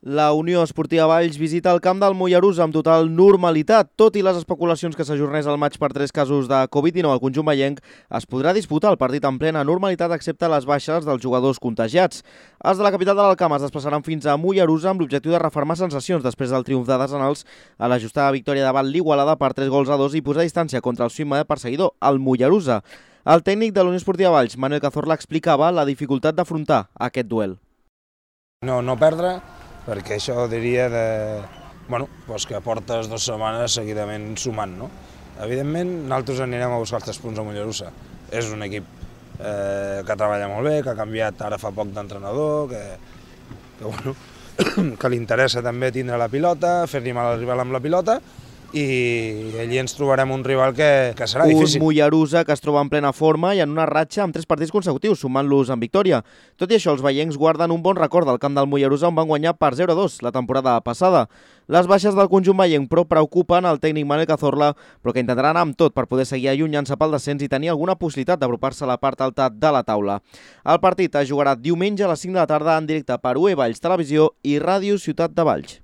La Unió Esportiva Valls visita el camp del Mollerussa amb total normalitat. Tot i les especulacions que s'ajornés el maig per 3 casos de Covid-19 al conjunt vallenc, es podrà disputar el partit en plena normalitat excepte les baixes dels jugadors contagiats. Els de la capital de l'Alcamp es desplaçaran fins a Mollerussa amb l'objectiu de refermar sensacions després del triomf de Desenals a l'ajustada victòria davant l'Igualada per 3-2 i posar distància contra el seu immediat perseguidor, el Mollerussa. El tècnic de la Unió Esportiva Valls, Manuel Cazorla, explicava la dificultat d'afrontar aquest duel. No perdre, perquè això diria que portes 2 setmanes seguidament sumant. Evidentment, nosaltres anirem a buscar els 3 punts a Mollerussa. És un equip que treballa molt bé, que ha canviat ara fa poc d'entrenador, que li interessa també tindre la pilota, fer-li mal al rival amb la pilota, i allí ens trobarem un rival que serà difícil. Un Mollerussa que es troba en plena forma i en una ratxa amb 3 partits consecutius, sumant-los en victòria. Tot i això, els vallencs guarden un bon record del camp del Mollerussa on van guanyar per 0-2 la temporada passada. Les baixes del conjunt vallenc, però, preocupen el tècnic Manuel Cazorla, però que intentarà anar amb tot per poder seguir allunyant-se pel descens i tenir alguna possibilitat d'apropar-se a la part alta de la taula. El partit es jugarà diumenge a les 5 de la tarda en directe per UE Valls Televisió i Ràdio Ciutat de Valls.